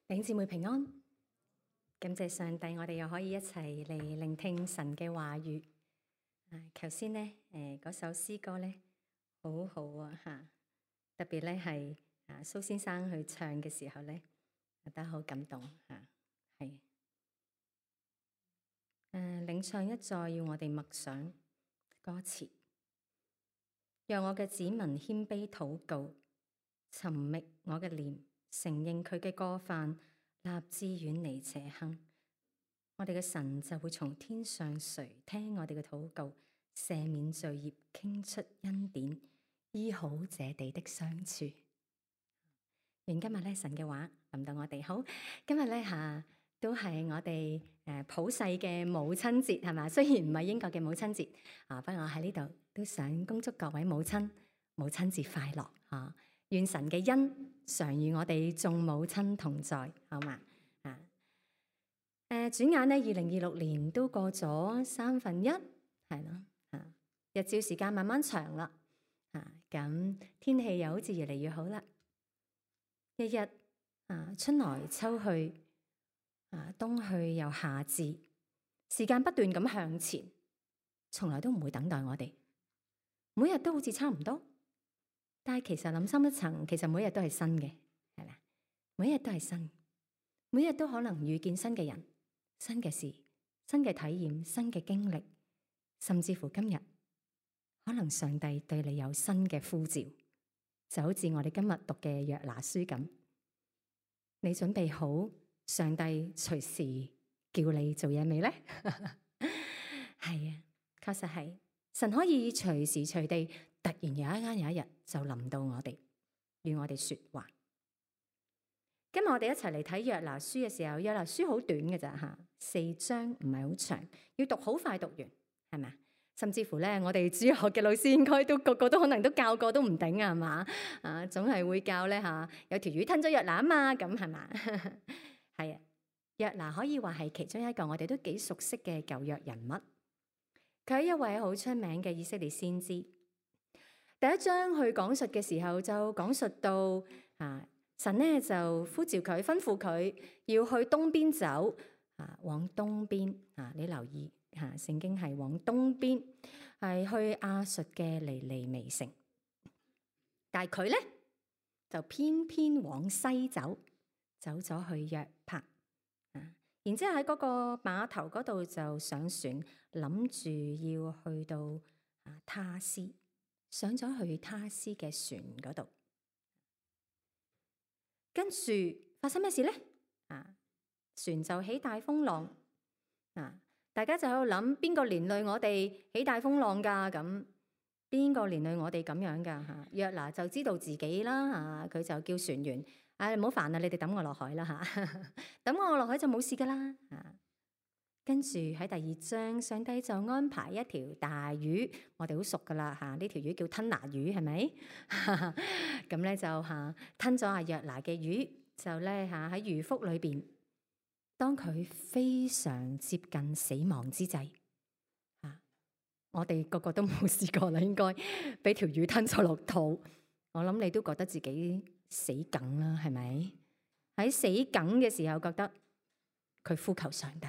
弟兄姊妹平安，感謝上帝，我哋又可以一齊嚟聆聽神嘅話語。頭先咧，嗰首詩歌咧，好好啊嚇，特別咧係蘇先生去唱嘅時候咧，覺得好感動嚇，係。領唱一再要我哋默想歌詞，讓我嘅子民謙卑禱告，尋覓我嘅臉，承認佢嘅過犯，立志遠離邪行。我哋嘅神就會從天上垂聽我哋嘅禱告，赦免罪孽，傾出恩典，醫好這地的傷處。願今日咧神嘅話臨到我哋。好，今日咧都係我哋普世嘅母親節係嘛？雖然唔係英國嘅母親節不過我喺呢度都想恭祝各位母親母親節快樂啊！願神嘅恩常與我哋眾母親同在，好嘛？轉眼咧，2026年都過咗1/3，係咯日照時間慢慢長啦，咁天氣又好似越嚟越好啦。日日春來秋去，冬去又夏至，時間不斷咁向前，從來都唔會等待我哋，每日都好似差唔多。但係其實諗深一層，其實每日都係新嘅，係咪？每日都係新，每日都可能遇見新嘅人、新嘅事、新嘅體驗、新嘅經歷，甚至乎今日可能上帝對你有新嘅呼召，就好似我哋今日讀嘅約拿書咁。你準備好上帝隨時叫你做嘢未呢？係啊，確實係，神可以隨時隨地突然有一日就臨到我哋，與我哋說話。今日我哋一齊嚟睇約拿書嘅時候，約拿書好短嘅咋，4章唔係好長，要讀好快讀完，係咪？甚至乎咧，我哋主學嘅老師應該都個個都可能都教過都唔頂啊，係嘛？總係會教咧有條魚吞咗約拿啊嘛，咁係嘛？係啊，約拿可以話係其中一個我哋都幾熟悉嘅舊約人物，佢係一位好出名嘅以色列先知。第一章去講述嘅時候就講述到神咧就呼召佢，吩咐佢要去東邊走往東邊你留意聖經係往東邊，係去亞述嘅尼尼微城，但係佢咧就偏偏往西走咗去約帕然之後喺嗰個碼頭嗰度就上船，諗住要去到他斯，上咗去他斯嘅船嗰度。跟住發生咩事咧？船就起大風浪，大家就喺度諗邊個連累我哋起大風浪噶？咁邊個連累我哋咁樣噶？約拿就知道自己啦，佢就叫船員，唔好煩啦，你哋抌我落海啦抌我落海就冇事噶啦。跟住喺第二章，上帝就安排一條大魚，我哋好熟噶啦呢條魚叫吞拿魚，係咪？咁咧就吞咗約拿嘅魚，就咧喺魚腹裏邊，當佢非常接近死亡之際，我哋個個都冇試過啦，應該俾條魚吞咗落肚，我諗你都覺得自己死梗啦，係咪？喺死梗嘅時候，覺得佢呼求上帝。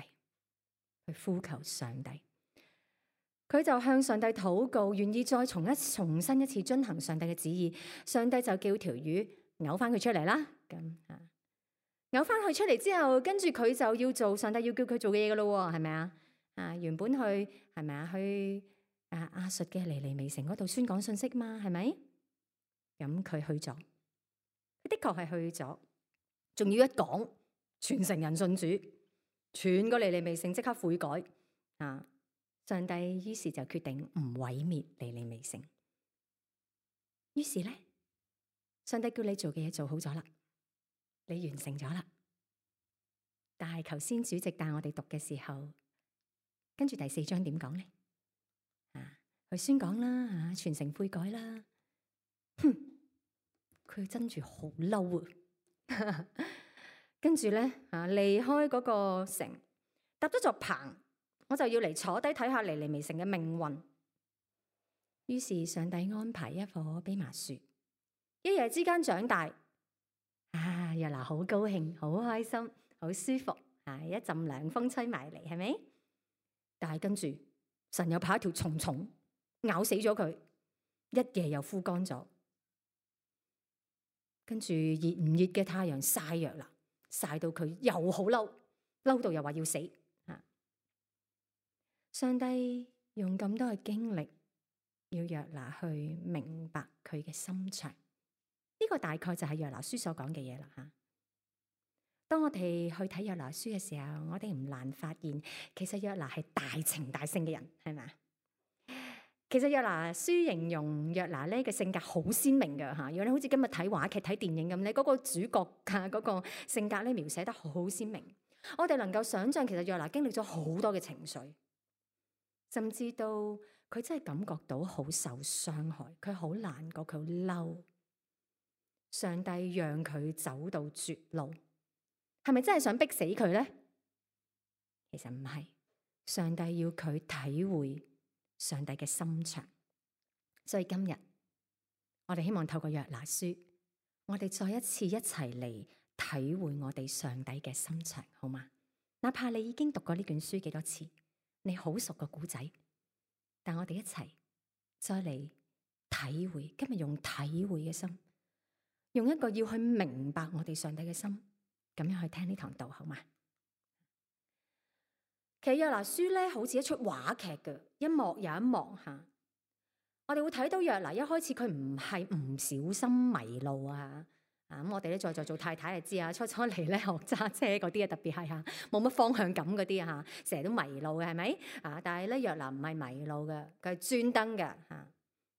佢就向上帝禱告，願意再重新一次遵行上帝嘅旨意。上帝就叫條魚嘔翻佢出嚟啦。咁嘔翻佢出嚟之後，跟住佢就要做上帝要叫佢做嘅嘢噶咯，係咪啊？原本去係咪啊？去亞述嘅尼尼微城嗰度宣講信息嘛，係咪？咁佢去咗，佢的確係去咗，仲要一講，全城人信主。全個尼尼微城即刻悔改上帝於是就決定唔毀滅尼尼微城。於是咧，上帝叫你做嘅嘢做好咗啦，你完成咗啦。但係頭先主席帶我哋讀嘅時候，跟住第4章點講咧？佢宣講啦，全城悔改啦。佢真住好嬲啊！跟住咧離開嗰個城，搭咗座棚，我就要嚟坐低睇下尼尼微城嘅命運。於是上帝安排一棵蓖麻樹，一夜之間長大。約拿好高興，好開心，好舒服，一陣涼風吹埋嚟，係咪？但係跟住神又派一條蟲咬死咗佢，一夜又枯乾咗。跟住熱唔熱嘅太陽曬約拿，曬到佢又好嬲，嬲到又話要死。上帝用咁多嘅經歷，要約拿去明白佢嘅心腸。呢個大概就係約拿書所講嘅嘢啦吓。當我哋去睇約拿書嘅時候，我哋唔難發現，其實約拿係大情大性嘅人，係咪？其實約拿書形容約拿咧嘅性格好鮮明嘅吓。如果你好似今日睇話劇、睇電影咁咧，嗰個主角嘅嗰個性格咧描寫得好鮮明。我哋能夠想象，其實約拿經歷咗好多嘅情緒。甚至到佢真係感覺到好受傷害，佢好難過，佢好嬲。上帝讓佢走到絕路，係咪真係想逼死佢呢？其實唔係，上帝要佢體會上帝嘅心腸。所以今日我哋希望透過約拿書，我哋再一次一齊嚟體會我哋上帝嘅心腸，好嗎？哪怕你已經讀過呢卷書幾多次，你好熟個故仔，但我哋一齊再嚟體會。今日用體會嘅心，用一個要去明白我哋上帝嘅心，咁樣去聽呢堂道，好嗎？其實約拿書咧，好似一出話劇嘅，一幕又一幕吓。我哋會睇到約拿一開始佢唔係唔小心迷路啊。咁我哋咧在座做太太就知啊，初嚟咧學揸車嗰啲啊，特別係吓冇乜方向感嗰啲啊，成日都迷路嘅，係咪啊？但係咧約拿唔係迷路嘅，佢係專登嘅吓，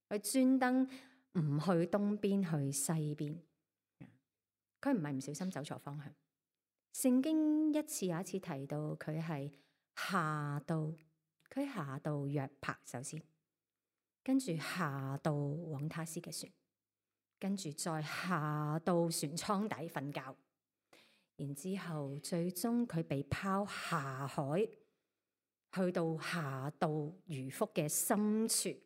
佢專登唔去東邊去西邊，佢唔係唔小心走錯方向。聖經一次又一次提到佢係下到約帕，首先跟住下到往他施嘅船。跟住再下到船艙底瞓覺，然之後最終佢被拋下海，去到下到魚腹嘅深處。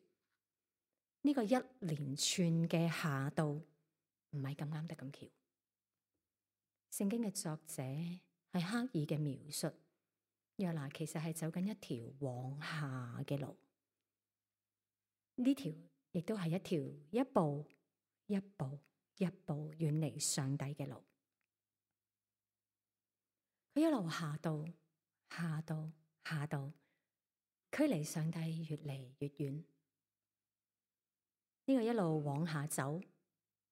呢個一連串嘅下到唔係咁啱得咁巧。聖經嘅作者係刻意嘅描述，約拿其實係走緊一條往下嘅路，呢條亦都係一條一步一步遠離上帝嘅路。佢一路下到，距離上帝越嚟越遠。呢個一路往下走，唔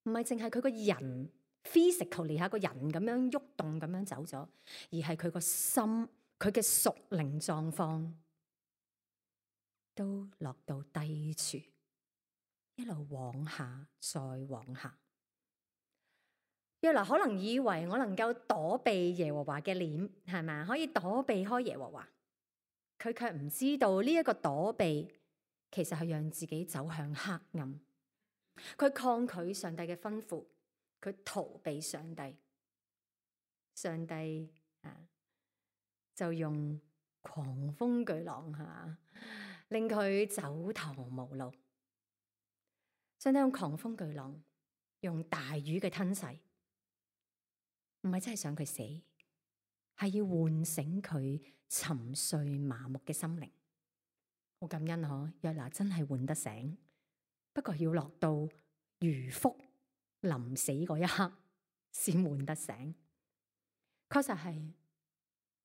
係淨係佢個人 physically 下個人咁樣喐動咁樣走咗，而係佢個心，佢嘅屬靈狀況都落到低處。一路往下，再往下。約拿可能以為我能夠躲避耶和華嘅臉，係咪？可以躲避開耶和華。佢卻唔知道呢一個躲避，其實係讓自己走向黑暗。佢抗拒上帝嘅吩咐，佢逃避上帝。上帝就用狂風巨浪令佢走投無路。上帝用狂風巨浪，用大魚嘅吞噬，唔係真係想佢死，係要喚醒佢沉睡麻木嘅心靈。好感恩嗬，約拿真係喚得醒，不過要落到魚腹臨死嗰一刻先喚得醒。確實係，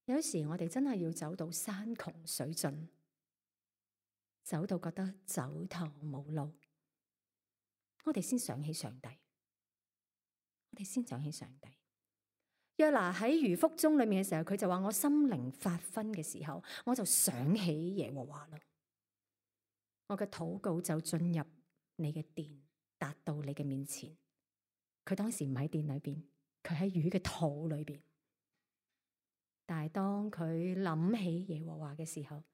有時我哋真係要走到山窮水盡，走到覺得走投無路，我哋先想起上帝，約拿喺魚腹中裏面嘅時候，佢就話：我心靈發昏嘅時候，我就想起耶和華啦。我嘅禱告就進入你嘅殿，達到你嘅面前。佢當時唔喺殿裏邊，佢喺魚嘅肚裏邊。但係當佢諗起耶和華嘅時候，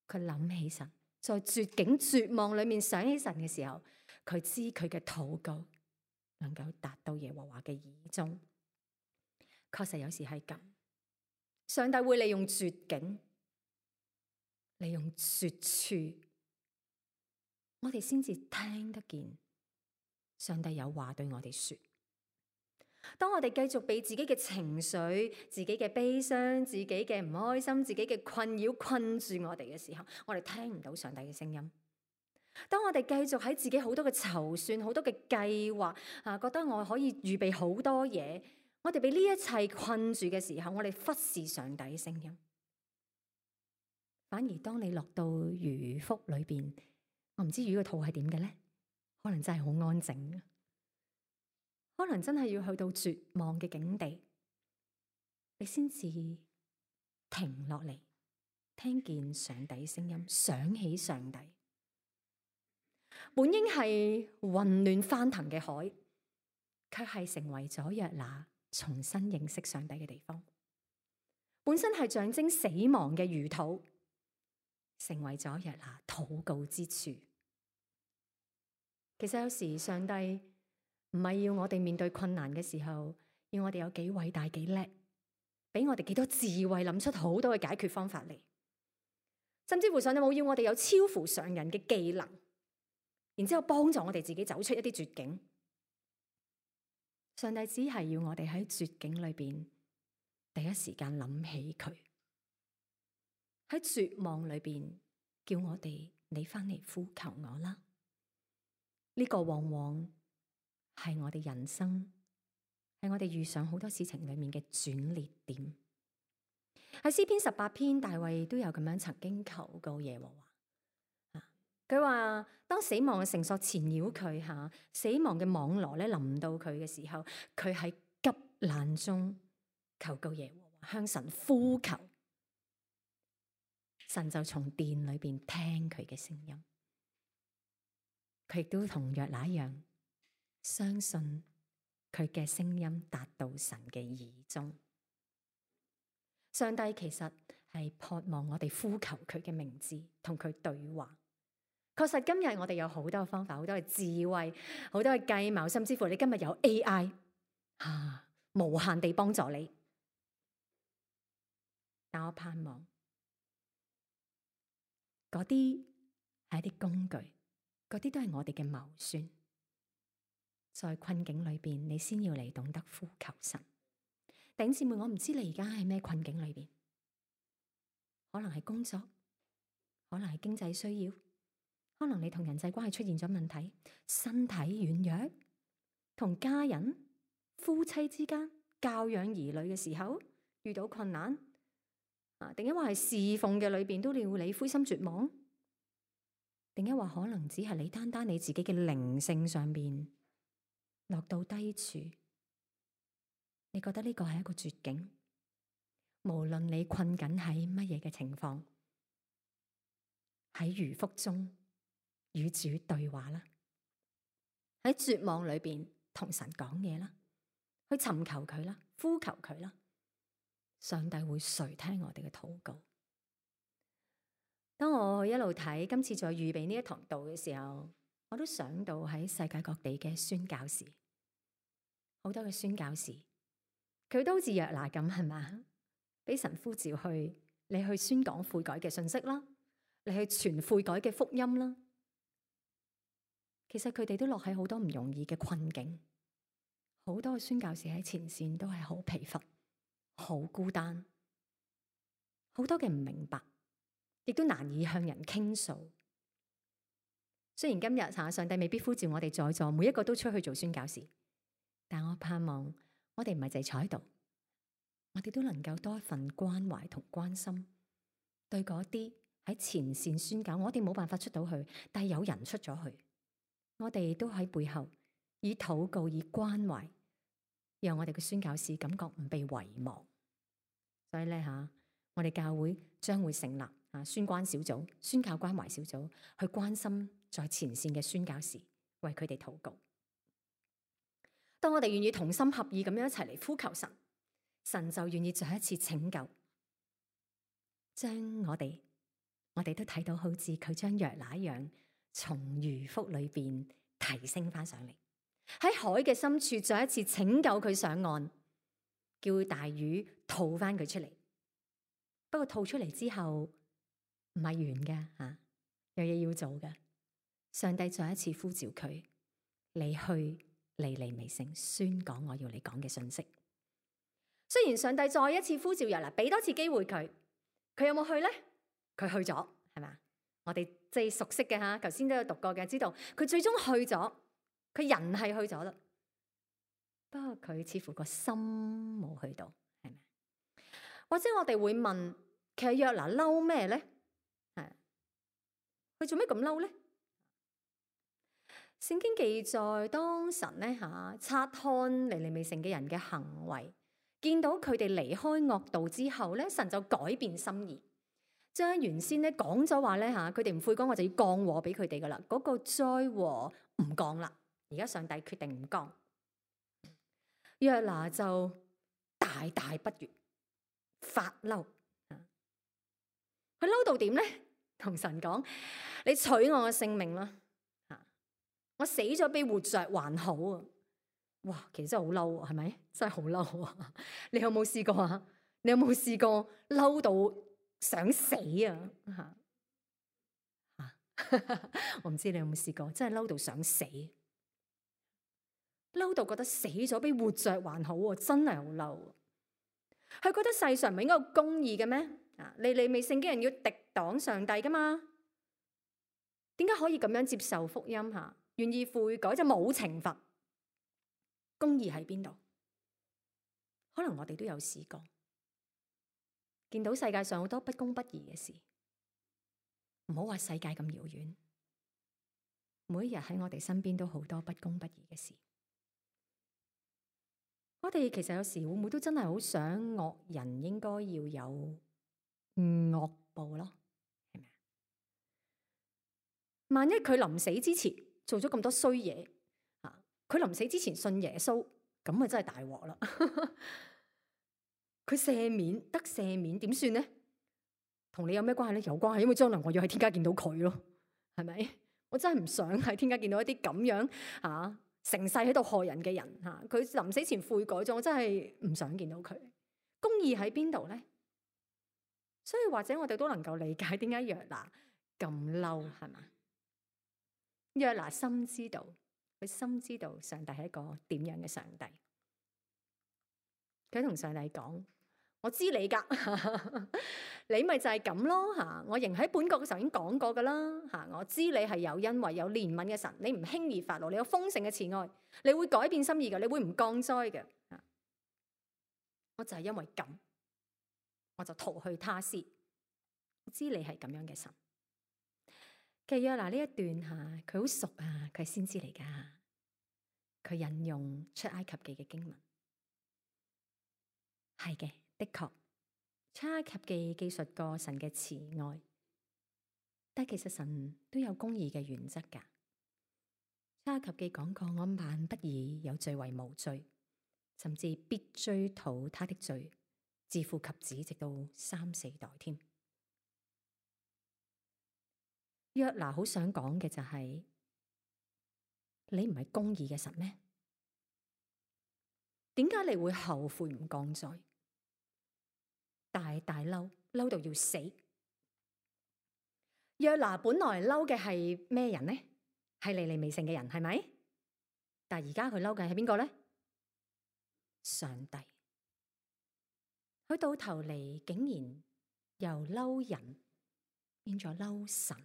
佢諗起神，在絕境絕望裏面想起神嘅時候，佢知佢嘅禱告能夠達到耶和華嘅耳中。確實有時係咁，上帝會利用絕境，利用絕處，我哋先至聽得見上帝有話對我哋說。當我哋繼續被自己嘅情緒、自己嘅悲傷、自己嘅唔開心、自己嘅困擾困住我哋嘅時候，我哋聽唔到上帝嘅聲音。當我哋繼續喺自己好多嘅籌算、好多嘅計劃覺得我可以預備好多嘢，我哋被呢一切困住嘅時候，我哋忽視上帝嘅聲音。反而當你落到魚腹裏邊，我唔知魚個肚係點嘅咧，可能真係好安靜，可能真係要去到絕望嘅境地，你先至停落嚟，聽見上帝聲音，想起上帝。本應係混亂翻騰嘅海，卻係成為咗約拿重新認識上帝嘅地方。本身係象徵死亡嘅魚肚，成為咗約拿禱告之處。其實有時上帝唔係要我哋面對困難嘅時候，要我哋有幾偉大幾叻，俾我哋幾多智慧，諗出好多嘅解決方法嚟。甚至乎上帝冇要我哋有超乎常人嘅技能，然之後幫助我哋自己走出一啲絕境。上帝只係要我哋喺絕境裏邊第一時間諗起佢，喺絕望裏邊叫我哋你翻嚟呼求我啦。呢個往往係我哋人生，係我哋遇上好多事情裏面嘅轉捩點。喺詩篇18篇，大衛都有咁樣曾經求告耶和華。佢話當死亡嘅繩索纏繞佢，死亡嘅網羅咧臨到佢嘅時候，佢喺急難中求告耶和華，向神呼求，神就從殿裏邊聽佢嘅聲音。佢亦都同約拿一樣，相信佢嘅聲音達到神嘅耳中。上帝其實係渴望我哋呼求佢嘅名字，同佢對話。確實今日我哋有好多方法，好多嘅智慧，好多嘅計謀，甚至乎你今日有 AI 無限地幫助你。但我盼望嗰啲係一啲工具，嗰啲都係我哋嘅謀算。在困境裏邊，你先要嚟懂得呼求神。弟兄姊妹，我唔知你而家喺咩困境裏邊，可能係工作，可能係經濟需要，可能你同人際關係出現咗問題，身體軟弱，同家人、夫妻之間教養兒女嘅時候遇到困難，定抑或係侍奉嘅裏邊都令你灰心絕望，定抑或可能只係你單單你自己嘅靈性上邊落到低處，你覺得呢個係一個絕境。無論你困緊喺乜嘢嘅情況，喺魚腹中與主對話啦，喺絕望裏邊同神講嘢啦，去尋求佢啦，呼求佢啦，上帝會垂聽我哋嘅禱告。當我一路睇今次在預備呢一堂道嘅時候，我都想到喺世界各地嘅宣教士，好多嘅宣教士，佢都好似約拿咁，係嘛？俾神呼召去，你去宣講悔改嘅信息啦，你去傳悔改嘅福音啦。其實佢哋都落喺好多唔容易嘅困境，好多嘅宣教士喺前線都係好疲乏、好孤單，好多嘅唔明白，亦都難以向人傾訴。雖然今日上帝未必呼召我哋在座每一個都出去做宣教士，但我盼望我哋唔係淨係坐喺度。我哋都能夠多一份關懷同關心，對嗰啲喺前線宣教，我哋冇辦法出到去，但係有人出咗去，我哋都喺背後以禱告、以關懷，讓我哋嘅宣教士感覺唔被遺忘。所以咧我哋教會將會成立宣關小組、宣教關懷小組，去關心在前線嘅宣教士，為佢哋禱告。當我哋願意同心合意咁樣一齊嚟呼求神，神就願意再一次拯救，將我哋都睇到好似佢將約拿一樣，從魚腹裏邊提升翻上嚟，喺海嘅深處再一次拯救佢上岸，叫大魚吐翻佢出嚟。不過吐出嚟之後唔係完嘅，有嘢要做嘅。上帝再一次呼召佢，你去尼尼微城宣講我要你講嘅信息。雖然上帝再一次呼召約拿，俾多次機會佢，佢有冇去呢？佢去咗，係咪？我哋即係熟悉嘅吓，頭先都有讀過嘅，知道佢最終去咗，佢人係去咗啦。不過佢似乎個心冇去到，係咪？或者我哋會問，其實約拿嬲咩咧？係佢做咩咁嬲咧？聖經記載，當神咧察看尼尼微城嘅人嘅行為，見到佢哋離開惡道之後咧，神就改變心意，將原先咧講咗話咧佢哋唔悔改，我就要降禍俾佢哋噶啦。嗰個災禍唔降啦，而家上帝決定唔降。約拿就大大不悅，發嬲。佢嬲到點咧？同神講：你取我嘅性命啦！我死咗比活着還好啊！哇，其實真係好嬲，係咪？真係好嬲啊！你有冇試過啊？你有冇試過嬲到想死啊？我唔知你有冇試過，真係嬲到想死，嬲到覺得死咗比活着還好啊！真係好嬲。佢覺得世上唔係應該有公義嘅咩？尼尼微城嘅人要敵擋上帝噶嘛？點解可以咁樣接受福音？願意悔改就冇懲罰，公義喺邊度？可能我哋都有試過，見到世界上好多不公不義嘅事，唔好話世界咁遙遠，每一日喺我哋身邊都好多不公不義嘅事。我哋其實有時會唔會都真係好想惡人應該要有惡報咯？係咪？萬一佢臨死之前做咗咁多衰嘢，佢臨死之前信耶穌，咁啊真係大鑊啦！佢赦免得赦免，點算呢？同你有咩關係咧？有關係，因為將來我要喺天家見到佢咯，係咪？我真係唔想喺天家見到一啲咁樣成世喺度害人嘅人吓，佢臨死前悔改咗，我真係唔想見到佢。公義喺邊度咧？所以或者我哋都能夠理解點解約拿咁嬲，係嘛？約拿深知道，佢深知道上帝係一個點樣嘅上帝。佢同上帝講：我知你噶，你咪就係咁咯吓。我仍喺本國嘅時候已經講過噶啦吓。我知你係有恩惠、有憐憫嘅神，你唔輕易發怒，你有豐盛嘅慈愛，你會改變心意嘅，你會唔降災嘅。我就係因為咁，我就逃去他施。我知你係咁樣嘅神。其實約拿呢一段吓，佢好熟啊，佢係先知嚟噶。佢引用出埃及記嘅經文，係嘅，的確出埃及記記述過神嘅慈愛，但其實神都有公義嘅原則噶。出埃及記講過，我萬不以有罪為無罪，甚至必追討他的罪，自父及子，直到3、4代添。約拿好想講嘅就係，你唔係公義嘅神咩？點解你會後悔唔降災？大嬲到要死。約拿本來嬲嘅係咩人呢？係尼尼微城嘅人，係咪？但係而家佢嬲嘅係邊個呢？上帝。佢到頭嚟竟然由嬲人變咗嬲神。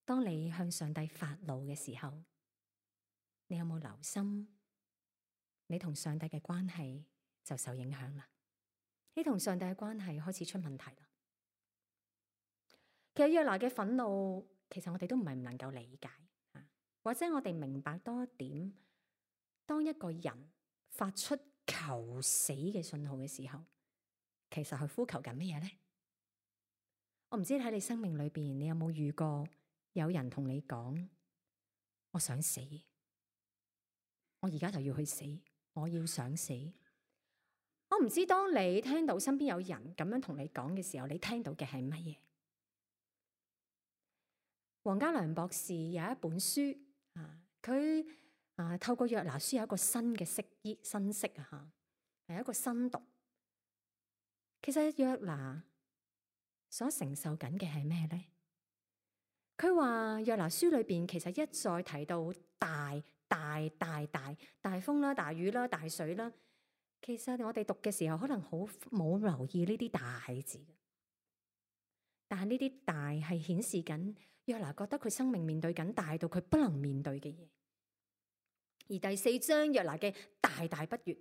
當你向上帝發怒嘅時候，你有冇留心？你同上帝嘅關係就受影響啦。你同上帝嘅關係開始出問題啦。其實約拿嘅憤怒，其實我哋都唔係唔能夠理解，或者我哋明白多一點，當一個人發出求死嘅信號嘅時候，其實佢呼求緊乜嘢呢？我唔知喺你生命裏邊，你有冇遇過有人同你講：我想死，我而家就要去死，我要想死。我唔知當你聽到身邊有人咁樣同你講嘅時候，你聽到嘅係乜嘢？黃家良博士有一本書佢透過約拿書有一個新嘅新識係一個新讀。其實約拿所承受緊嘅係咩咧？佢話約拿書裏邊其實一再提到大風啦、大雨啦、大水啦。其實我哋讀嘅時候可能好冇留意呢啲大字，但係呢啲大係顯示緊約拿覺得佢生命面對緊大到佢不能面對嘅嘢。而第4章約拿嘅大不悅，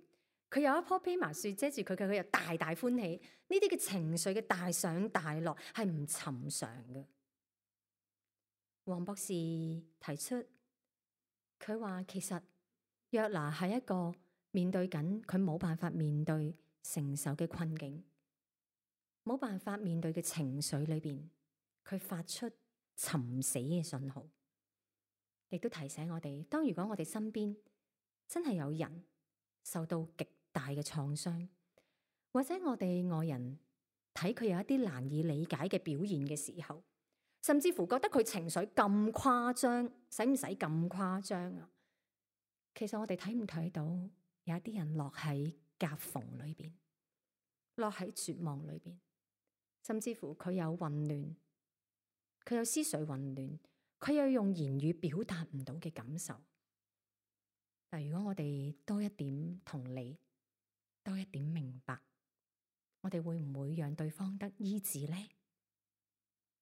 佢有一棵蓖麻樹遮住佢，佢又大歡喜。呢啲嘅情緒嘅大上大落係唔尋常嘅。黃博士提出，佢話其實約拿係一個面對緊佢冇辦法面對承受嘅困境，冇辦法面對嘅情緒裏邊，佢發出尋死嘅信號，亦都提醒我哋，當如果我哋身邊真係有人受到極大嘅創傷，或者我哋外人睇佢有一啲難以理解嘅表現嘅時候，甚至乎覺得佢情緒咁誇張，使唔使咁誇張啊？其實我哋睇唔睇到有一啲人落喺夾縫裏邊，落喺絕望裏邊，甚至乎佢有混亂，佢有思緒混亂，佢有用言語表達唔到嘅感受。但如果我哋多一點同理，多一點明白，我哋會唔會讓對方得醫治呢？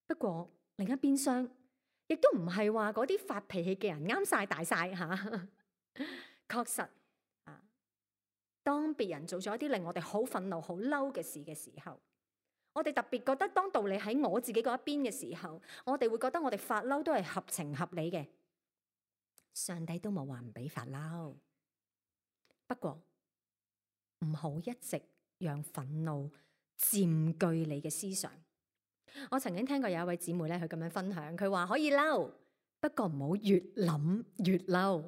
不過另一邊廂，亦都唔係話嗰啲發脾氣嘅人啱晒大晒吓。確實啊，當別人做咗一啲令我哋好憤怒、好嬲嘅事嘅時候，我哋特別覺得當道理喺我自己嗰一邊嘅時候，我哋會覺得我哋發嬲都係合情合理嘅。上帝都冇話唔俾發嬲，不過唔好一直讓憤怒佔據你嘅思想。我曾經聽過有一位姊妹咧，佢咁樣分享，佢話可以嬲，不過唔好越諗越嬲。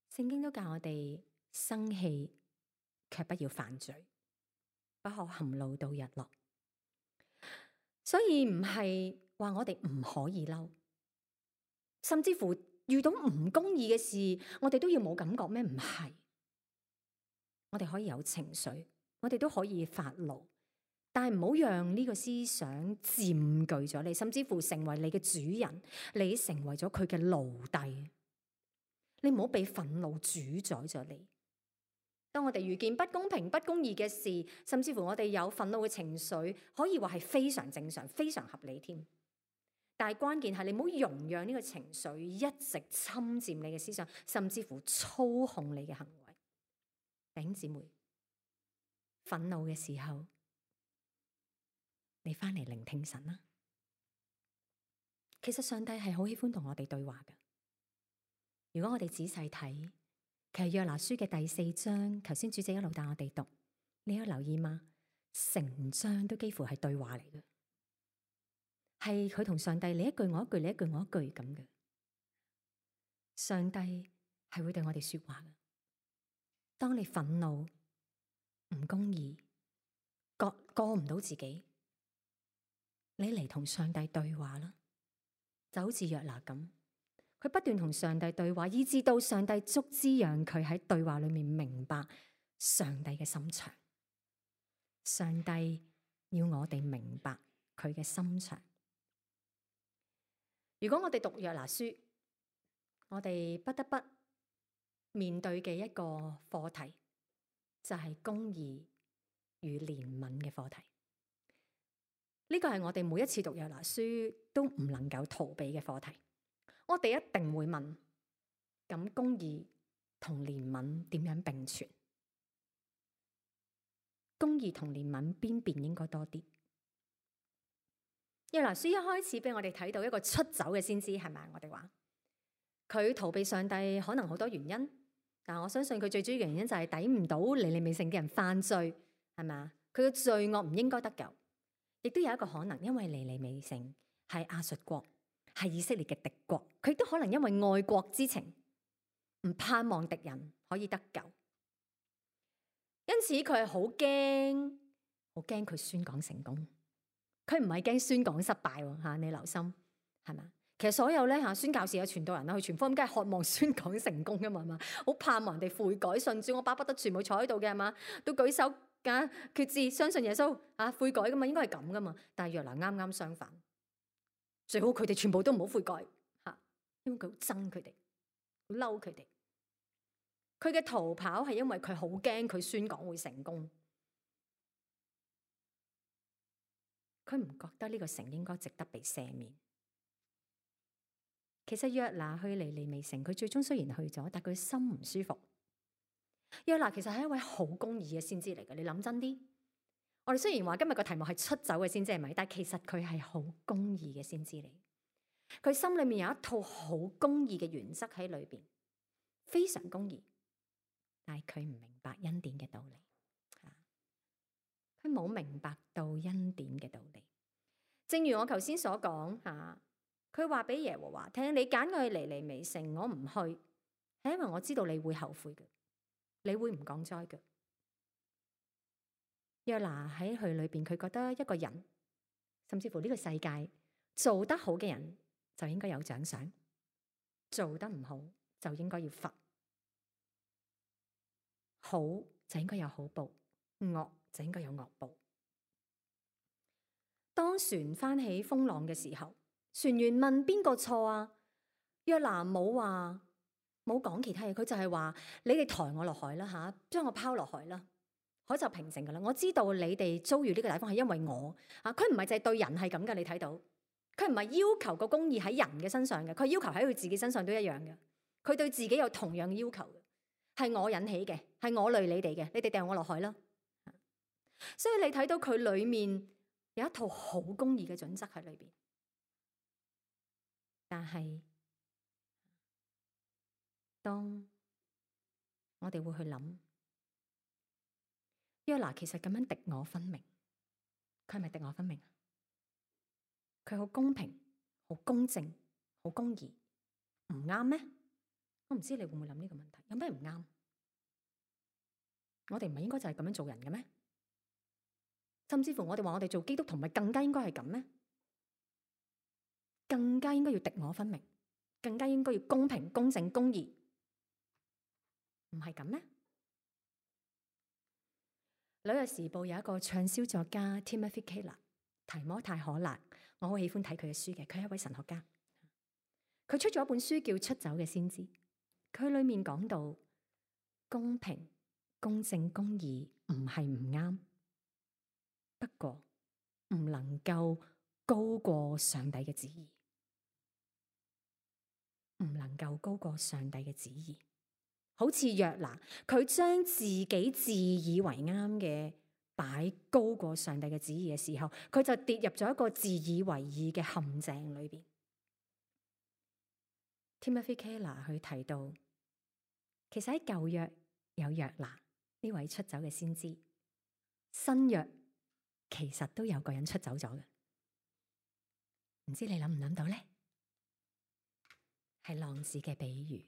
聖經都教我哋生氣，卻不要犯罪，不可含怒到日落。所以唔係話我哋唔可以嬲，甚至乎遇到唔公義嘅事，我哋都要冇感覺咩？唔係，我哋可以有情緒，我哋都可以發怒。但係唔好讓呢個思想佔據咗你，甚至乎成為你嘅主人，你成為咗佢嘅奴隸。你唔好俾憤怒主宰咗你。當我哋遇見不公平、不公義嘅事，甚至乎我哋有憤怒嘅情緒，可以話係非常正常、非常合理添。但係關鍵係你唔好容讓呢個情緒一直侵佔你嘅思想，甚至乎操控你嘅行為。弟兄姊妹，憤怒嘅時候，你翻嚟聆聽神啦。其實上帝係好喜歡同我哋對話㗎。如果我哋仔細睇，其實約拿書嘅第4章，頭先主席一路帶我哋讀，你有留意嗎？成章都幾乎係對話嚟嘅，係佢同上帝你一句我一句，你一句我一句咁嘅。上帝係會對我哋說話嘅。當你憤怒、唔公義、過唔到自己，你嚟同上帝對話啦，就好似約拿咁，佢不斷同上帝對話，以至到上帝足之讓佢喺對話裏面明白上帝嘅心腸。上帝要我哋明白佢嘅心腸。如果我哋讀約拿書，我哋不得不面對嘅一個課題，就係公義與憐憫嘅課題。呢個係我哋每一次讀約拿書都唔能夠逃避嘅課題。我哋一定會問：咁公義同憐憫點樣並存？公義同憐憫邊邊應該多啲？約拿書一開始俾我哋睇到一個出走嘅先知，係咪？我哋話佢逃避上帝可能好多原因，但我相信佢最主要原因就係抵唔到尼尼微城嘅人犯罪，係咪？佢嘅罪惡唔應該得救。亦都有一個可能，因為尼尼微城係亞述國，係以色列嘅敵國，佢亦都可能因為愛國之情，唔盼望敵人可以得救，因此佢係好驚，好驚佢宣講成功。佢唔係驚宣講失敗吓，你留心係咪？其實所有咧吓宣教士嘅傳道人啦，去傳福音梗係渴望宣講成功噶嘛，係嘛？好盼望人哋悔改信主，我巴不得全部坐喺度嘅係嘛，都舉手決志相信耶穌啊，悔改噶嘛，應該係咁噶嘛。但係約拿啱啱相反，最好佢哋全部都唔好悔改嚇，因為佢好憎佢哋，好嬲佢哋。佢嘅逃跑係因為佢好驚佢宣講會成功，佢唔覺得呢個城應該值得被赦免。其實約拿去尼尼微城，佢最終雖然去咗，但佢心唔舒服。約拿其實係一位好公義嘅先知嚟嘅，你諗真啲。我哋雖然話今日個題目係出走嘅先知係咪？但其實佢係好公義嘅先知嚟。佢心裏面有一套好公義嘅原則喺裏邊，非常公義。但係佢唔明白恩典嘅道理，佢冇明白到恩典嘅道理。正如我頭先所講佢話俾耶和華聽：你揀我去尼尼微城，我唔去，係因為我知道你會後悔嘅，你會唔降災嘅。約拿喺佢裏邊，佢覺得一個人，甚至乎呢個世界做得好嘅人就應該有獎賞，做得唔好就應該要罰。好就應該有好報，惡就應該有惡報。當船翻起風浪嘅時候，船員問邊個錯啊？約拿冇講其他嘢，佢就係話：你哋抬我落海啦，將我拋落海啦，海就平靜噶啦。我知道你哋遭遇呢個大風係因為我佢唔係淨係對人係咁噶，你睇到佢唔係要求個公義喺人嘅身上嘅，佢要求喺佢自己身上都一樣嘅。佢對自己有同樣嘅要求嘅。係我引起嘅，係我累你哋嘅，你哋掟我落海啦。所以你睇到佢裏面有一套好公義嘅準則喺裏邊，但係當我哋會去諗，約拿其實咁樣敵我分明，佢係咪敵我分明啊？佢好公平、好公正、好公義，唔啱咩？我唔知你會唔會諗呢個問題，有咩唔啱？我哋唔係應該就係咁樣做人嘅咩？甚至乎我哋話我哋做基督徒，咪更加應該係咁咩？更加應該要敵我分明，更加應該要公平、公正、公義，唔係咁咩？紐約時報有一個暢銷作家 Timothy Keller 提摩太可勒，我好喜歡睇佢嘅書嘅，佢係一位神學家。佢出咗一本書叫《出走嘅先知》，佢裏面講到公平、公正、公義唔係唔啱，不過唔能夠高過上帝嘅旨意，唔能夠高過上帝嘅旨意。好似約拿，佢將自己自以為啱嘅擺高過上帝嘅旨意嘅時候，佢就跌入咗一個自以為義嘅陷阱裏邊。Timothy Keller 佢提到，其實喺舊約有約拿呢位出走嘅先知，新約其實都有個人出走咗嘅，唔知你諗唔諗到咧？係浪子嘅比喻。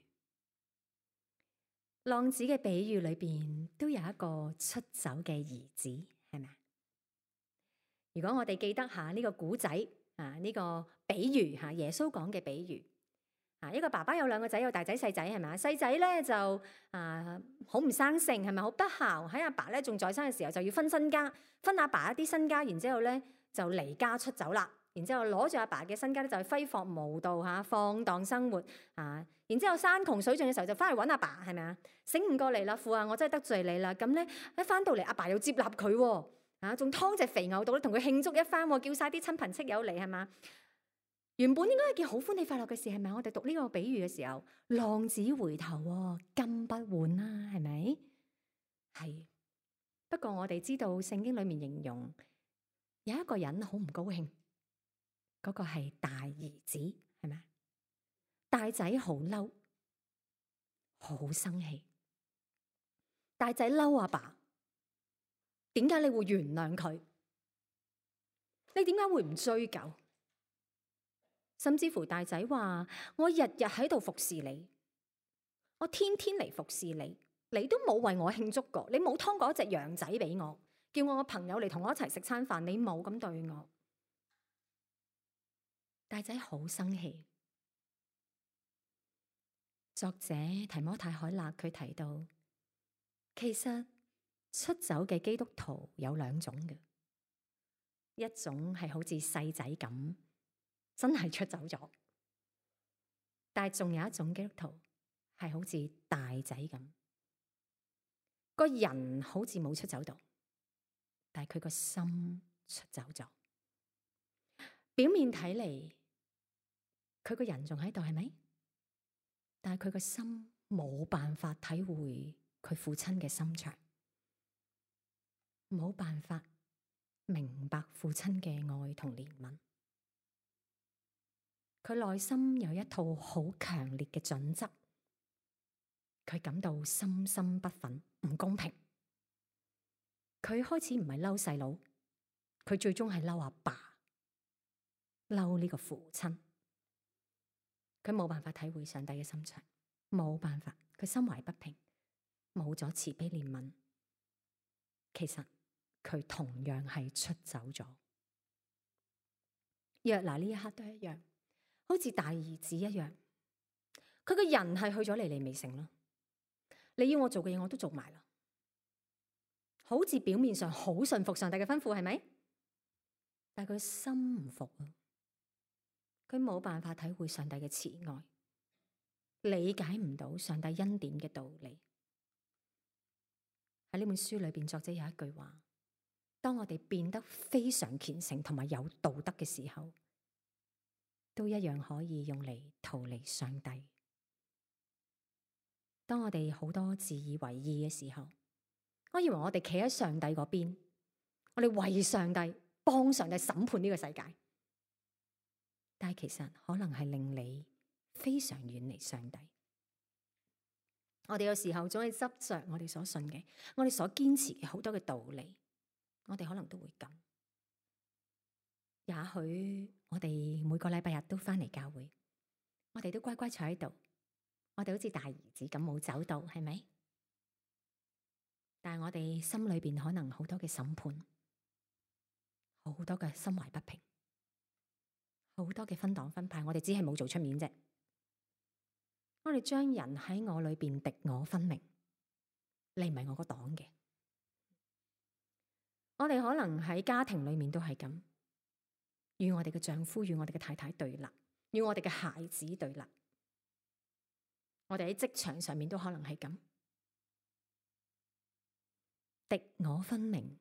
浪子嘅比喻裏邊都有一個出走嘅兒子，係咪？如果我哋記得下呢個古仔呢個比喻耶穌講嘅比喻一個爸爸有兩個仔，有大仔細仔，係咪？細仔咧就好唔生性，係咪？好不孝，喺阿爸咧仲在生嘅時候就要分身家，分阿爸一啲身家，然之後咧就離家出走啦。然之後攞住阿爸嘅身家咧就去揮霍無度放蕩生活然之後山窮水盡嘅時候就翻去揾阿爸，係咪啊？醒唔過嚟啦，父啊，我真係得罪你啦。咁咧一翻到嚟，阿爸又接納佢仲劏隻肥牛到咧，同佢慶祝一番，叫晒啲親朋戚友嚟，係嘛？原本應該係件好歡喜快樂嘅事，係咪？我哋讀呢個比喻嘅時候，浪子回頭金不換啦，係咪？係。不過我哋知道聖經裏面形容有一個人好唔高興，嗰個係大兒子，係咪？大仔好嬲，好生氣。大仔嬲阿爸，點解你會原諒佢？你點解會唔追究？甚至乎大仔話：我日日喺度服侍你，我天天嚟服侍你，你都冇為我慶祝過，你冇劏過一隻羊仔俾我，叫我朋友嚟同我一齊食餐飯，你冇咁對我。大仔好生氣。作者提摩太凱勒佢提到，其實出走嘅基督徒有兩種嘅，一種係好似細仔咁真係出走咗。但係仲有一種基督徒係好似大仔咁，個人好似冇出走到，但係佢個心出走咗。表面睇嚟，佢個人仲喺度，係咪？但係佢個心冇辦法體會佢父親嘅心腸，冇辦法明白父親嘅愛同憐憫。佢內心有一套好強烈嘅準則，佢感到深深不忿，唔公平。佢開始唔係嬲細佬，佢最終係嬲阿爸，嬲呢個父親。佢冇辦法體會上帝嘅心腸，冇辦法，佢心懷不平，冇咗慈悲憐憫。其實佢同樣係出走咗。約拿呢一刻都一樣。好似大兒子一樣，佢個人係去咗尼尼微城咯。你要我做嘅嘢，我都做埋啦。好似表面上好順服上帝嘅吩咐，係咪？但係佢心唔服啊，佢冇辦法體會上帝嘅慈愛，理解唔到上帝恩典嘅道理。喺呢本書裏邊，作者有一句話：當我哋變得非常虔誠同埋有道德嘅時候，都一樣可以用嚟逃離上帝。當我哋好多自以為義嘅時候，我以為我哋企喺上帝嗰邊，我哋為上帝幫上帝審判呢個世界，但係其實可能係令你非常遠離上帝。我哋有時候總係執着我哋所信嘅，我哋所堅持嘅好多嘅道理，我哋可能都會咁。也許我哋每個禮拜日都返嚟教會，我哋都乖乖坐喺度，我哋好似大兒子咁冇走到，係咪？但係我哋心裏邊可能好多嘅審判，好多嘅心懷不平，好多嘅分黨分派，我哋只係冇做出面啫。我哋將人喺我裏邊敵我分明，你唔係我個黨嘅。我哋可能喺家庭裏面都係咁。與我哋嘅丈夫、與我哋嘅太太對立，與我哋嘅孩子對立，我哋喺職場上面都可能係咁，敵我分明，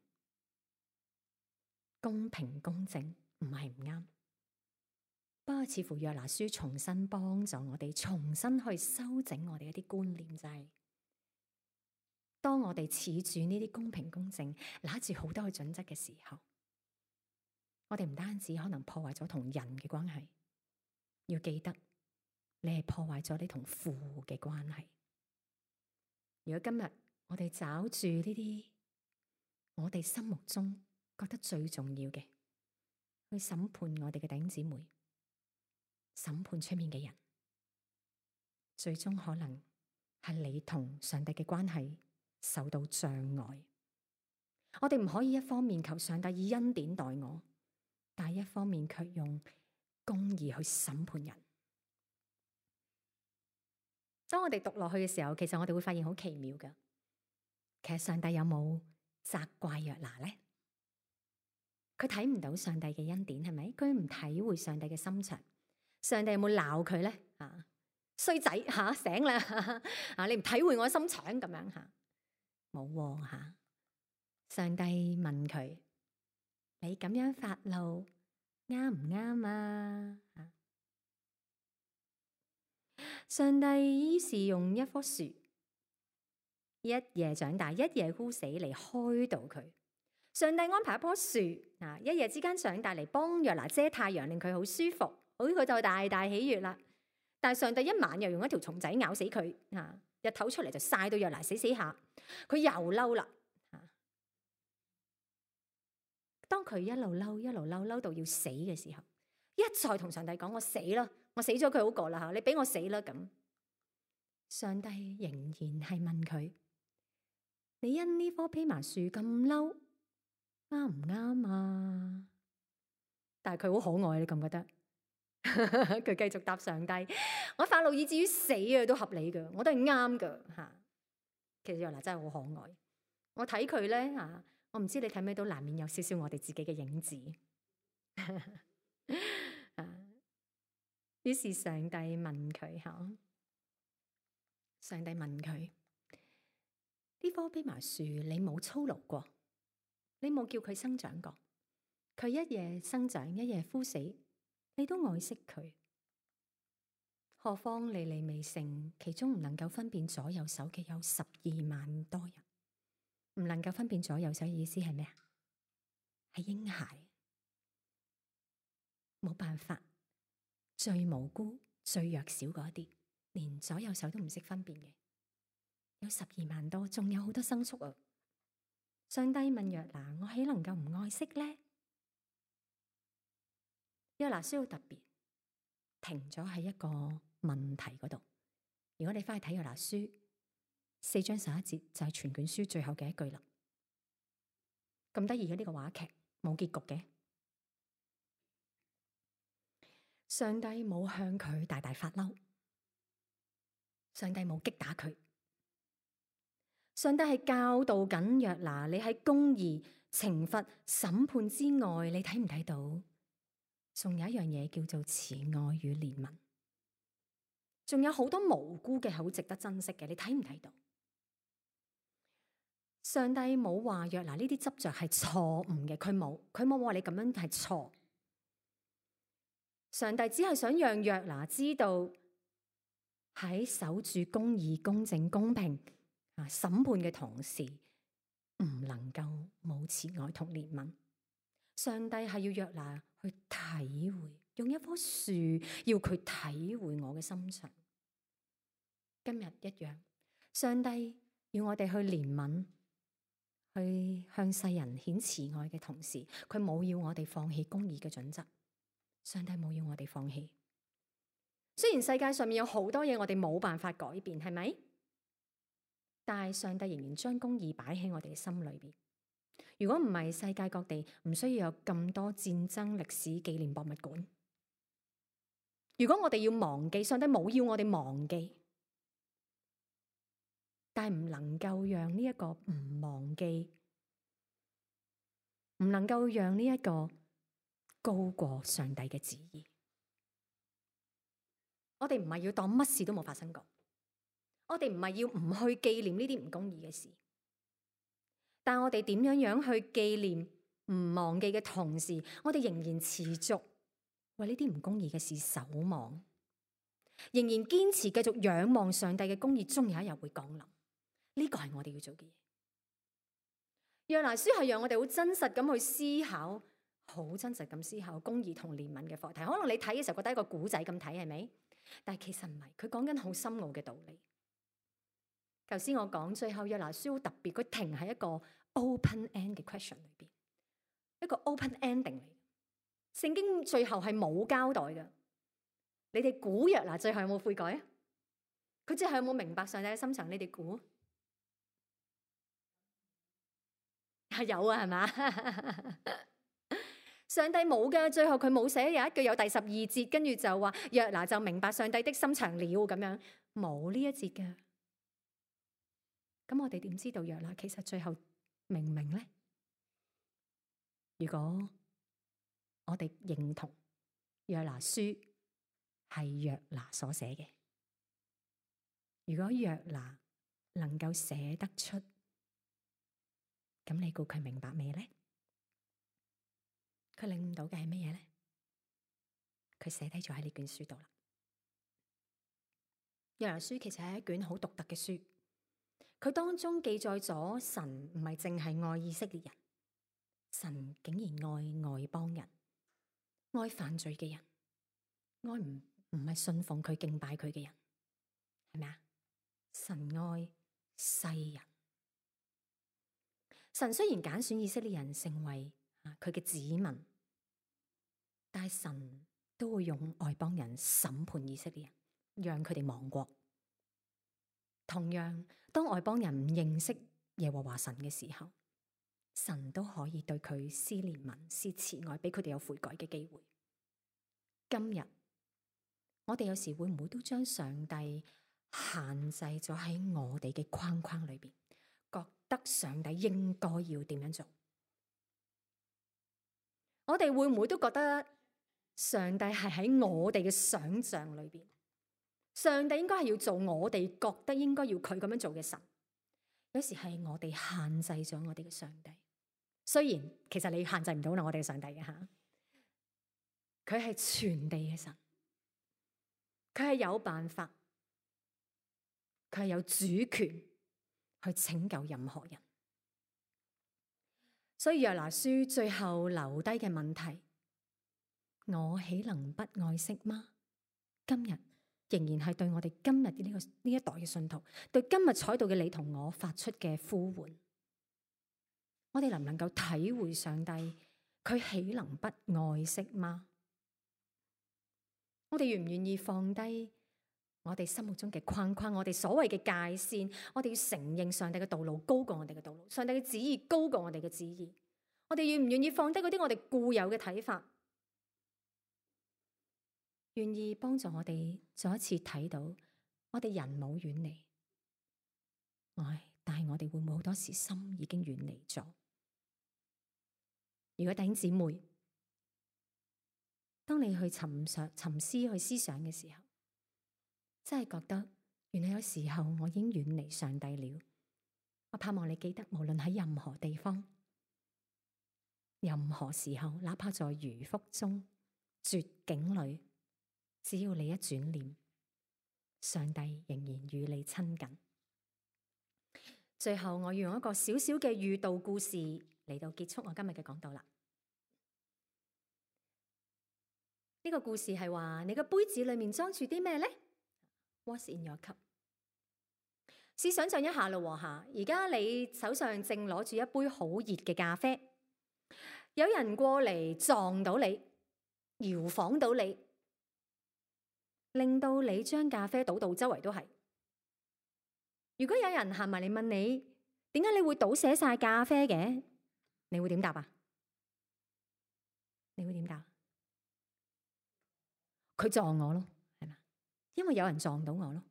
公平公正唔係唔啱。不過似乎約拿書重新幫助我哋，重新去修整我哋一啲觀念，就係當我哋恃住呢啲公平公正，拿住好多嘅準則嘅時候，我哋唔單止可能破壞咗同人嘅關係，要記得你係破壞咗你同父嘅關係。如果今日我哋找住呢啲我哋心目中覺得最重要嘅，去審判我哋嘅弟兄姊妹，審判出面嘅人，最終可能係你同上帝嘅關係受到障礙。我哋唔可以一方面求上帝以恩典待我，但係一方面卻用公義去審判人。當我哋讀落去嘅時候，其實我哋會發現好奇妙㗎。其實上帝有冇責怪約拿呢？佢睇唔到上帝嘅恩典，係咪？佢唔體會上帝嘅心腸。上帝有冇鬧佢呢？衰仔醒啦！你唔體會我心腸咁樣吓，冇吓。上帝問佢：你咁樣發怒啱唔啱啊？上帝於是用一棵樹一夜長大，一夜枯死嚟開導佢。上帝安排一棵樹一夜之間長大嚟幫約拿遮太陽，令佢好舒服，好佢就大大喜悅啦。但係上帝一晚又用一條蟲仔咬死佢，日頭出嚟就曬到約拿死下，佢又嬲啦。當佢一路嬲到要死嘅時候，一再同上帝講：我死啦，我死咗佢好過啦吓，你俾我死啦咁。上帝仍然係問佢：你因呢棵蓖麻樹咁嬲，啱唔啱啊？但係佢好可愛，你覺唔覺得？佢繼續答上帝：我發怒以至於死啊，都合理噶，我都係啱噶吓。其實約拿真係好可愛，我睇佢咧吓，我唔知你睇咩都難免有少少我哋自己嘅影子。於是上帝問佢嚇，上帝問佢：呢棵蓖麻樹你冇操勞過，你冇叫佢生長過，佢一夜生長一夜枯死，你都愛惜佢。何況尼尼微城其中唔能夠分辨左右手嘅有12萬多人。唔能夠分辨左右手嘅意思係咩啊？係嬰孩，冇辦法，最無辜、最弱小嗰啲，連左右手都唔識分辨嘅，有12萬多，仲有好多牲畜啊！上帝問約拿：我豈能夠唔愛惜呢？約拿需要特別停咗喺一個問題嗰度。如果你翻去睇約拿書4章11節，就係全卷書最後嘅一句啦。咁得意嘅呢個話劇冇結局嘅，上帝冇向佢大大發嬲，上帝冇擊打佢，上帝係教導緊約拿，你喺公義、懲罰、審判之外，你睇唔睇到？仲有一樣嘢叫做慈愛與憐憫，仲有好多無辜嘅好值得珍惜嘅，你睇唔睇到？上帝冇話約拿呢啲執着係錯誤嘅，佢冇話你咁樣係錯。上帝只係想讓約拿知道喺守住公義、公正、公平審判嘅同時，唔能夠冇慈愛同憐憫。上帝係要約拿去體會，用一棵樹要佢體會我嘅心腸。今日一樣，上帝要我哋去憐憫，去向世人顯慈愛嘅同時，佢冇要我哋放棄公義嘅準則。上帝冇要我哋放棄。雖然世界上面有好多嘢我哋冇辦法改變，係咪？但係上帝仍然將公義擺喺我哋嘅心裏邊。如果唔係，世界各地唔需要有咁多戰爭歷史紀念博物館。如果我哋要忘記，上帝冇要我哋忘記，但係唔能夠讓呢一個唔忘記，唔能夠讓呢一個高過上帝嘅旨意。我哋唔係要當乜事都冇發生過，我哋唔係要唔去紀念呢啲唔公義嘅事，但我哋點樣去紀念唔忘記嘅同時，我哋仍然持續為呢啲唔公義嘅事守望，仍然堅持繼續仰望上帝嘅公義，終有一日會降臨。呢個係我哋要做嘅嘢。約拿書係讓我哋好真實咁去思考，好真實咁思考公義同憐憫嘅課題。可能你睇嘅時候覺得一個古仔咁睇，係咪？但係其實唔係，佢講緊好深奧嘅道理。頭先我講最後約拿書好特別，佢停喺一個 open end 嘅 question 裏邊，一個 open ending 嚟。聖經最後係冇交代嘅。你哋估約拿最後有冇悔改啊？佢最後有冇明白上帝嘅心腸？你哋估？係有啊，係嘛？上帝冇㗎，最後佢冇寫有一句有第12節，跟住就話約拿就明白上帝的心腸了咁樣，冇呢一節㗎。咁我哋點知道約拿其實最後明唔明呢？如果我哋認同約拿書係約拿所寫嘅，如果約拿能夠寫得出，咁你估佢明白未呢？佢領悟到嘅係乜嘢呢？佢寫低咗喺呢卷書度啦。約拿書其實係一卷好獨特嘅書，佢當中記載咗神唔係淨係愛以色列人，神竟然愛外邦人，愛犯罪嘅人，愛唔係信奉佢敬拜佢嘅人，係咪啊？神愛世人。神雖然揀選以色列人成為佢嘅子民，但係神都會用外邦人審判以色列人，讓佢哋亡國。同樣，當外邦人唔認識耶和華神嘅時候，神都可以對佢施憐憫、施慈愛，俾佢哋有悔改嘅機會。今日我哋有時會唔會都將上帝限制咗喺我哋嘅框框裏邊，覺得上帝應該要點樣做？我哋會唔會都覺得上帝係喺我哋嘅想象裏邊，上帝應該係要做我哋覺得應該要佢咁樣做嘅神。有時係我哋限制咗我哋嘅上帝，雖然其實你限制唔到我哋嘅上帝嘅吓，佢係全地嘅神，佢係有辦法，佢係有主權去拯救任何人。所以約拿書最後留低嘅問題，我豈能不愛惜嗎？今日仍然係對我哋今日嘅呢一代嘅信徒，對今日坐喺度嘅你同我發出嘅呼喚。我哋能唔能夠體會上帝佢豈能不愛惜嗎？我哋願唔願意放低我哋心目中嘅框框，我哋所謂嘅界線，我哋要承認上帝嘅道路高過我哋嘅道路，上帝嘅旨意高過我哋嘅旨意。我哋願唔願意放低嗰啲我哋固有嘅睇法，願意幫助我哋再一次睇到我哋人冇遠離，但係我哋會唔會好多時心已經遠離咗？如果弟兄姊妹，當你去沉思去思想嘅時候，真係覺得原來有時候我已經遠離上帝了。我盼望你記得，無論喺任何地方、任何時候，哪怕在魚腹中、絕境裏，只要你一轉念，上帝仍然與你親近。最後，我要用一個小小嘅寓道故事嚟到結束我今日嘅講道啦。呢個故事係話，你個杯子裏面裝住啲咩呢？What's in your cup？ 試想象一下咯吓，而家你手上正攞住一杯好熱嘅咖啡，有人過嚟撞到你，搖晃到你，令到你將咖啡倒到周圍都係。如果有人行埋嚟問你，點解你會倒瀉晒咖啡嘅？你會點答啊？你會點答？佢撞我咯，係嘛？因為有人撞到我咯，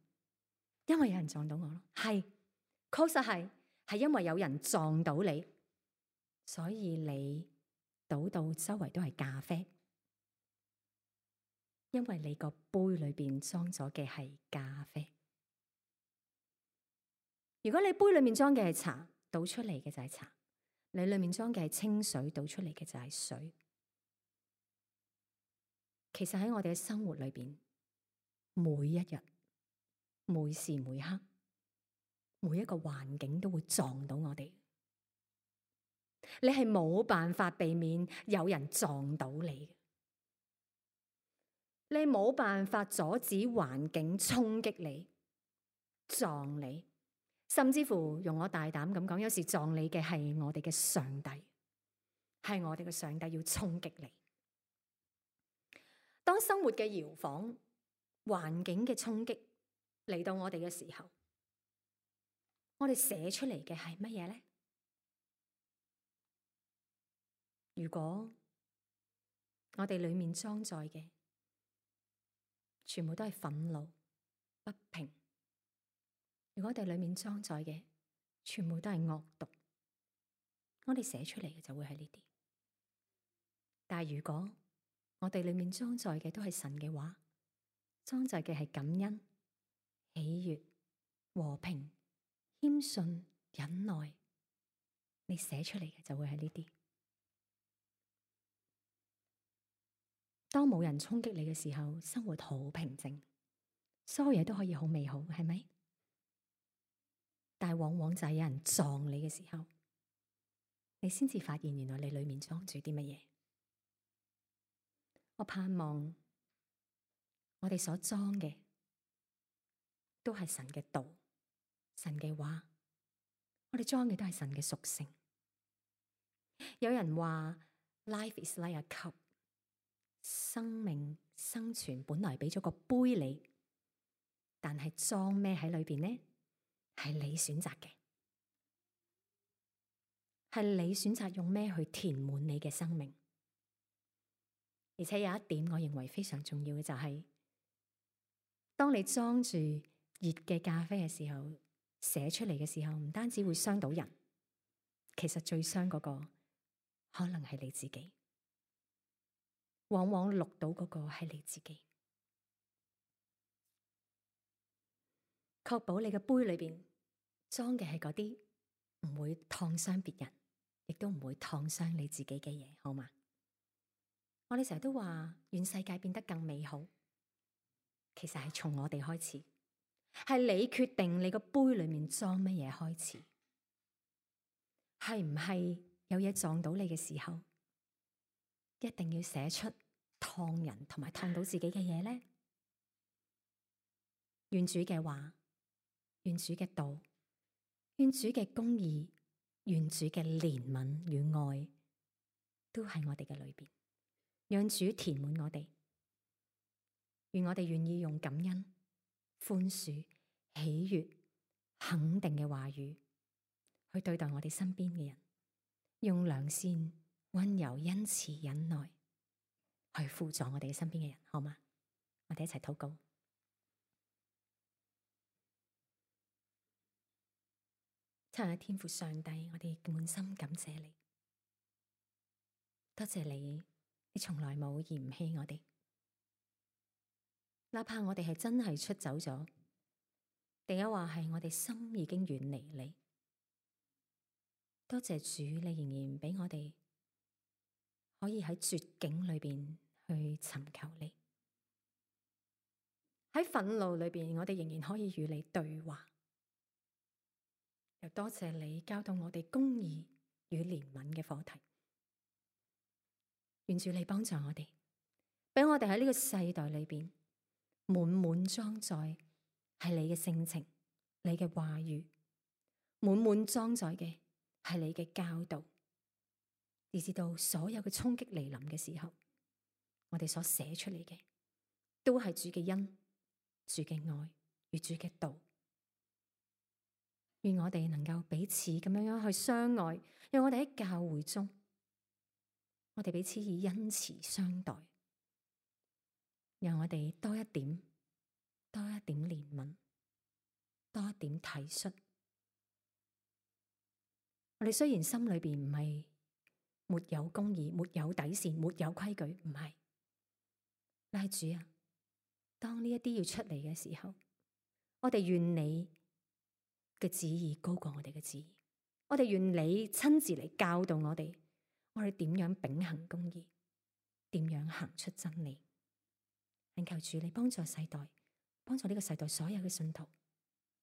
因為有人撞到我咯，係，確實係因為有人撞到你，所以你倒到周圍都係咖啡，因為你個杯裏邊裝咗嘅係咖啡。如果你杯裏面裝嘅係茶，倒出嚟嘅就係茶；你裏面裝嘅係清水，倒出嚟嘅就係水。其實喺我哋嘅生活裏邊，每一日、每時每刻、每一個環境都會撞到我哋。你係冇辦法避免有人撞到你，你冇辦法阻止環境衝擊你、撞你。甚至乎，用我大膽咁講，有時撞你嘅係我哋嘅上帝，係我哋嘅上帝要衝擊你。當生活嘅搖晃、環境嘅衝擊嚟到我哋嘅時候，我哋寫出嚟嘅係乜嘢呢？如果我哋裏面裝載嘅全部都係憤怒、不平，如果我哋裏面裝載嘅全部都係惡毒，我哋寫出嚟嘅就會係呢啲。但係如果我哋裏面裝載嘅都係神嘅話，裝載嘅係感恩、喜悅、和平、謙遜、忍耐，你寫出嚟嘅就會係呢啲。當冇人衝擊你嘅時候，生活好平靜，所有嘢都可以好美好，係咪？但係往往就係有人撞你嘅時候，你先至發現原來你裏面裝住啲乜嘢。我盼望我哋所裝嘅都係神嘅道、神嘅話，我哋裝嘅都係神嘅屬性。有人話 Life is like a cup， 生命生存本來俾咗個杯你，但係裝咩喺裏邊呢？係你選擇嘅，係你選擇用咩去填滿你嘅生命。而且有一點我認為非常重要嘅就係，當你裝住熱嘅咖啡嘅時候，寫出嚟嘅時候，唔單止會傷到人，其實最傷嗰個可能係你自己。往往錄到嗰個係你自己。確保你嘅杯裏邊裝嘅係嗰啲唔會燙傷別人，亦都唔會燙傷你自己嘅嘢，好嗎？我哋成日都話願世界變得更美好，其實係從我哋開始，係你決定你個杯裏面裝乜嘢開始。係唔係有嘢撞到你嘅時候，一定要寫出燙人同埋燙到自己嘅嘢呢？願主嘅話，願主嘅道，願主嘅公義，願主嘅憐憫與愛，都喺我哋嘅裏邊，讓主填滿我哋。願我哋願意用感恩、寬恕、喜悅、肯定嘅話語去對待我哋身邊嘅人，用良善、溫柔、恩慈、忍耐去輔助我哋身邊嘅人，好嗎？我哋一齊禱告。親愛嘅天父上帝，我哋滿心感謝你，多謝你，你從來冇嫌棄我哋，哪怕我哋係真係出走咗，定係話係我哋心已經遠離你。多謝主，你仍然俾我哋可以喺絕境裏邊去尋求你，喺憤怒裏邊，我哋仍然可以與你對話。又多謝你教導我哋公義與憐憫嘅課題，願主你幫助我哋，俾我哋喺呢個世代裏邊滿滿裝載係你嘅性情、你嘅話語，滿滿裝載嘅係你嘅教導，以至到所有嘅衝擊嚟臨嘅時候，我哋所寫出嚟嘅都係主嘅恩、主嘅愛與主嘅道。願我哋能夠彼此咁樣去相愛，讓我哋喺教會中，我哋彼此以恩慈相待，讓我哋多一點憐憫，多一點體恤。我哋雖然心裏邊唔係沒有公義、沒有底線、沒有規矩，唔係，但係主啊，當呢一啲要出嚟嘅時候，我哋願你嘅旨意高過我哋嘅旨意，我哋願你親自嚟教導我哋，我哋點樣秉行公義，點樣行出真理。懇求主你幫助世代，幫助呢個世代所有嘅信徒，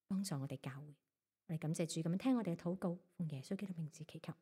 幫助我哋教會。我哋感謝主咁樣聽我哋嘅禱告，奉耶穌基督名字祈求。